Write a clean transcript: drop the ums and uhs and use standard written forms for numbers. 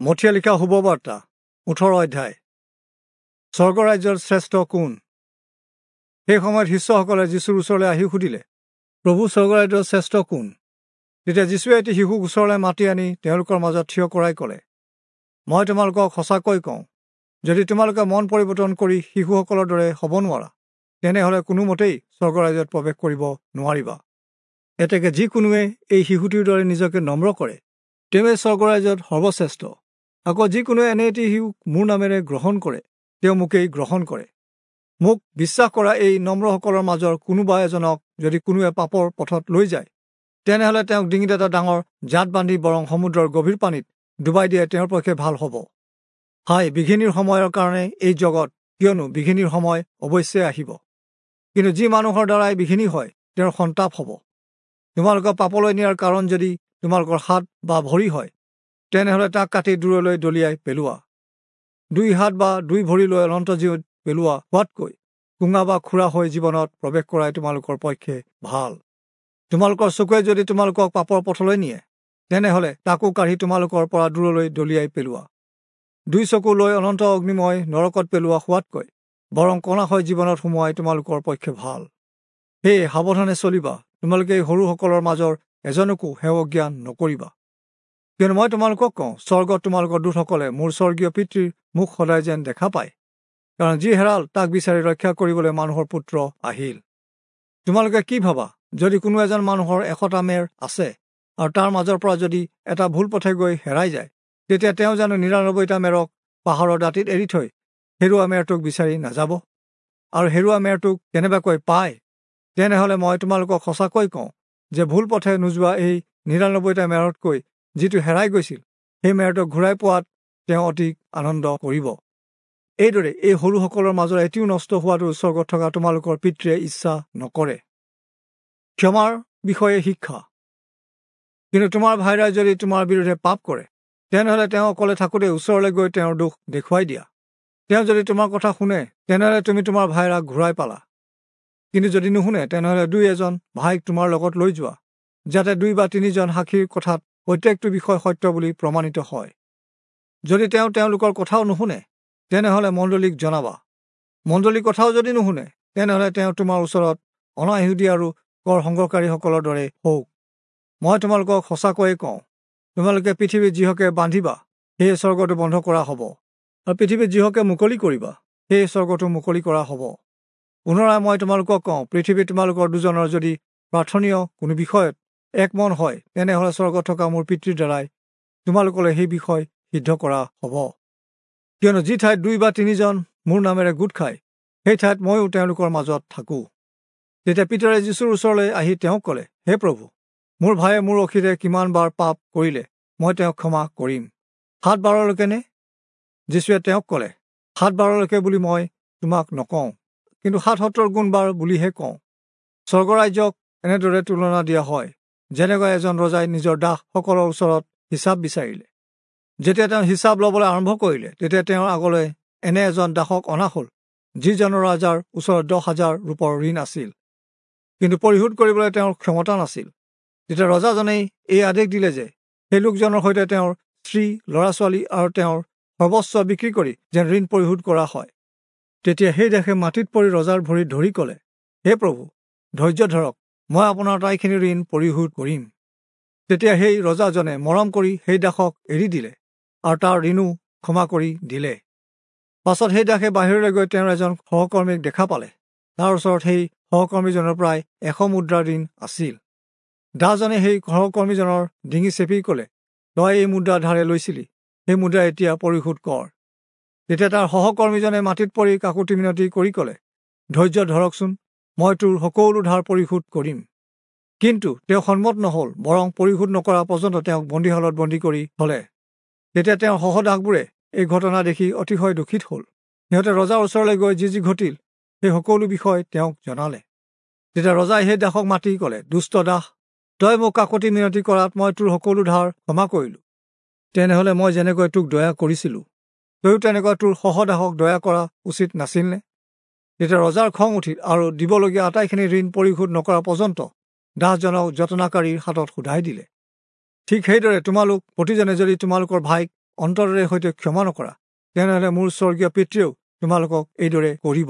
মথিয়ে লিখা শুভবাৰ্তা 18 অধ্যায়। স্বৰ্গৰাজ্যৰ শ্ৰেষ্ঠ কোন? সেই সময়ত শিষ্যসকলে যীশুৰ ওচৰলৈ আহি সুধিলে, প্ৰভু, স্বৰ্গৰাজ্যৰ শ্ৰেষ্ঠ কোন? তেতিয়া যীশুৱে এটি শিশুক ওচৰলৈ মাতি আনি তেওঁলোকৰ মাজত থিয় কৰাই ক'লে, মই তোমালোকক সঁচাকৈ কওঁ, যদি তোমালোকে মন পৰিৱৰ্তন কৰি শিশুসকলৰ দৰে হ'ব নোৱাৰা, তেনেহ'লে কোনোমতেই স্বৰ্গৰাজ্যত প্ৰৱেশ কৰিব নোৱাৰিবা। এতেকে যিকোনোৱে এই শিশুটিৰ দৰে নিজকে নম্ৰ কৰে, তেওঁৱে স্বৰ্গৰাজ্যত সৰ্বশ্ৰেষ্ঠ। আকৌ যিকোনোৱে এনে এটি শিশুক মোৰ নামেৰে গ্ৰহণ কৰে, তেওঁ মোকেই গ্ৰহণ কৰে। মোক বিশ্বাস কৰা এই নম্ৰসকলৰ মাজৰ কোনোবা এজনক যদি কোনোৱে পাপৰ পথত লৈ যায়, তেনেহ'লে তেওঁক ডিঙিত এটা ডাঙৰ জাত বান্ধি বৰং সমুদ্ৰৰ গভীৰ পানীত ডুবাই দিয়ে তেওঁৰ পক্ষে ভাল হ'ব। হায়, বিঘিনিৰ সময়ৰ কাৰণে এই জগত, কিয়নো বিঘিনিৰ সময় অৱশ্যে আহিব। কিন্তু যি মানুহৰ দ্বাৰাই বিঘিনি হয়, তেওঁৰ সন্তাপ হ'ব। তোমালোকক পাপলৈ নিয়াৰ কাৰণ যদি তোমালোকৰ হাত বা ভৰি হয়, তেনেহ'লে তাক কাটি দূৰলৈ দলিয়াই পেলোৱা। দুই হাত বা দুই ভৰি লৈ অনন্ত জীৱত পেলোৱা হোৱাতকৈ কোঙা বা খুৰা হৈ জীৱনত প্ৰৱেশ কৰাই তোমালোকৰ পক্ষে ভাল। তোমালোকৰ চকুৱে যদি তোমালোকক পাপৰ পথলৈ নিয়ে, তেনেহ'লে তাকো কাঢ়ি তোমালোকৰ পৰা দূৰলৈ দলিয়াই পেলোৱা। দুই চকু লৈ অনন্ত অগ্নিময় নৰকত পেলোৱা হোৱাতকৈ বৰং কণা হৈ জীৱনত সোমোৱাই তোমালোকৰ পক্ষে ভাল। সেয়ে সাৱধানে চলিবা, তোমালোকে এই সৰুসকলৰ মাজৰ এজনকো হেয় জ্ঞান নকৰিবা। কিয়নো মই তোমালোকক কওঁ, স্বৰ্গত তোমালোকৰ দূতসকলে মোৰ স্বৰ্গীয় পিতৃৰ মুখ সদায় যেন দেখা পায়। কাৰণ যি হেৰাল তাক বিচাৰি ৰক্ষা কৰিবলৈ মানুহৰ পুত্ৰ আহিল। তোমালোকে কি ভাবা, যদি কোনো এজন মানুহৰ 100টা মেৰ আছে আৰু তাৰ মাজৰ পৰা যদি এটা ভুল পথে গৈ হেৰাই যায়, তেতিয়া তেওঁ জানো 99টা মেৰক পাহাৰৰ দাঁতিত এৰি থৈ হেৰুৱা মেৰটোক বিচাৰি নাযাব? আৰু হেৰুৱা মেৰটোক কেনেবাকৈ পায়, তেনেহ'লে মই তোমালোকক সঁচাকৈ কওঁ যে ভুল পথে নোযোৱা এই 99টা মেৰতকৈ যিটো হেৰাই গৈছিল, সেই মেৰটোক ঘূৰাই পোৱাত তেওঁ অতি আনন্দ কৰিব। এইদৰে এই সৰুসকলৰ মাজৰ এটিও নষ্ট হোৱাটো স্বৰ্গত থকা তোমালোকৰ পিতৃয়ে ইচ্ছা নকৰে। ক্ষমাৰ বিষয়ে শিক্ষা। কিন্তু তোমাৰ ভাইৰাই যদি তোমাৰ বিৰুদ্ধে পাপ কৰে, তেনেহ'লে তেওঁ অকলে থাকোঁতে ওচৰলৈ গৈ তেওঁৰ দোষ দেখুৱাই দিয়া। তেওঁ যদি তোমাৰ কথা শুনে, তেনেহ'লে তুমি তোমাৰ ভাইৰাক ঘূৰাই পালা। কিন্তু যদি নুশুনে, তেনেহ'লে দুই এজন ভাইক তোমাৰ লগত লৈ যোৱা, যাতে 2 বা 3জন সাক্ষীৰ কথাত প্ৰত্যেকটো বিষয় সত্য বুলি প্ৰমাণিত হয়। যদি তেওঁ তেওঁলোকৰ কথাও নুশুনে, তেনেহ'লে মণ্ডলীক জনাবা। মণ্ডলীৰ কথাও যদি নুশুনে, তেনেহ'লে তেওঁ তোমাৰ ওচৰত অনাইহুদী আৰু কৰ সংগ্ৰহকাৰীসকলৰ দৰে হওক। মই তোমালোকক সঁচাকৈয়ে কওঁ, তোমালোকে পৃথিৱীত যিহকে বান্ধিবা, সেয়ে স্বৰ্গটো বন্ধ কৰা হ'ব, আৰু পৃথিৱীত যিহকে মুকলি কৰিবা, সেয়ে স্বৰ্গটো মুকলি কৰা হ'ব। পুনৰাই মই তোমালোকক কওঁ, পৃথিৱীত তোমালোকৰ দুজনৰ যদি প্ৰাৰ্থনীয় কোনো বিষয়ত একমন হয়, তেনেহ'লে স্বৰ্গত থকা মোৰ পিতৃৰ দ্বাৰাই তোমালোকলৈ সেই বিষয় সিদ্ধ কৰা হ'ব। কিয়নো যি ঠাইত 2 বা 3জন মোৰ নামেৰে গোট খায়, সেই ঠাইত ময়ো তেওঁলোকৰ মাজত থাকোঁ। তেতিয়া পিতৰে যীশুৰ ওচৰলৈ আহি তেওঁক ক'লে, হে প্ৰভু, মোৰ ভায়ে মোৰ অসীৰে কিমান বাৰ পাপ কৰিলে মই তেওঁক ক্ষমা কৰিম? 7 বাৰলৈকে নে? যীশুৱে তেওঁক ক'লে, 7 বাৰলৈকে বুলি মই তোমাক নকওঁ, কিন্তু 70 গুণ বাৰ বুলিহে কওঁ। স্বৰ্গৰাজ্যক এনেদৰে তুলনা দিয়া হয়, যেনেকৈ এজন ৰজাই নিজৰ দাসসকলৰ ওচৰত হিচাপ বিচাৰিলে। যেতিয়া তেওঁ হিচাপ ল'বলৈ আৰম্ভ কৰিলে, তেতিয়া তেওঁৰ আগলৈ এনে এজন দাসক অনা হ'ল, যিজনৰ ৰাজাৰ ওচৰত 10,000 ৰূপৰ ঋণ আছিল, কিন্তু পৰিশোধ কৰিবলৈ তেওঁৰ ক্ষমতা নাছিল। তেতিয়া ৰজাজনেই এই আদেশ দিলে যে সেই লোকজনৰ সৈতে তেওঁৰ স্ত্ৰী, ল'ৰা ছোৱালী আৰু তেওঁৰ সৰ্বস্ব বিক্ৰী কৰি যেন ঋণ পৰিশোধ কৰা হয়। তেতিয়া সেই দাসে মাটিত পৰি ৰজাৰ ভৰিত ধৰি ক'লে, হে প্ৰভু, ধৈৰ্য ধৰক, মই আপোনাৰ আটাইখিনি ঋণ পৰিশোধ কৰিম। তেতিয়া সেই ৰজাজনে মৰম কৰি সেই দাসক এৰি দিলে আৰু তাৰ ঋণো ক্ষমা কৰি দিলে। পাছত সেই দাসে বাহিৰলৈ গৈ তেওঁৰ এজন সহকৰ্মীক দেখা পালে। তাৰ ওচৰত সেই সহকৰ্মীজনৰ প্ৰায় 100 মুদ্ৰাৰ ঋণ আছিল। দাসজনে সেই সহকৰ্মীজনৰ ডিঙি চেপি ক'লে, তই এই মুদ্ৰা ধাৰে লৈছিলি, সেই মুদ্ৰা এতিয়া পৰিশোধ কৰ। তেতিয়া তাৰ সহকৰ্মীজনে মাটিত পৰি কাকুতি মিনতি কৰি ক'লে, ধৈৰ্য ধৰকচোন, মই তোৰ সকলো ধাৰ পৰিশোধ কৰিম। কিন্তু তেওঁ সন্মত নহ'ল, বৰং পৰিশোধ নকৰা পৰ্যন্ত তেওঁক বন্দীশালত বন্দী কৰি থ'লে। তেতিয়া তেওঁৰ সহদাসবোৰে এই ঘটনা দেখি অতিশয় দুখিত হ'ল। সিহঁতে ৰজাৰ ওচৰলৈ গৈ যি যি ঘটিল সেই সকলো বিষয় তেওঁক জনালে। তেতিয়া ৰজাই সেই দাসক মাতি ক'লে, দুষ্ট দাস, তই মোক কাকতি মিনতি কৰাত মই তোৰ সকলো ধাৰ ক্ষমা কৰিলোঁ। তেনেহ'লে মই যেনেকৈ তোক দয়া কৰিছিলোঁ, তয়ো তেনেকুৱা তোৰ সহদাসক দয়া কৰা উচিত নাছিলনে? তেতিয়া ৰজাৰ খং উঠিল আৰু দিবলগীয়া আটাইখিনি ঋণ পৰিশোধ নকৰা পৰ্যন্ত দাসজনক যতনাকাৰীৰ হাতত সোধাই দিলে। ঠিক সেইদৰে তোমালোক প্ৰতিজনে যদি তোমালোকৰ ভাইক অন্তৰেৰে সৈতে ক্ষমা নকৰা, তেনেহলে মোৰ স্বৰ্গীয় পিতৃয়েও তোমালোকক এইদৰে কৰিব।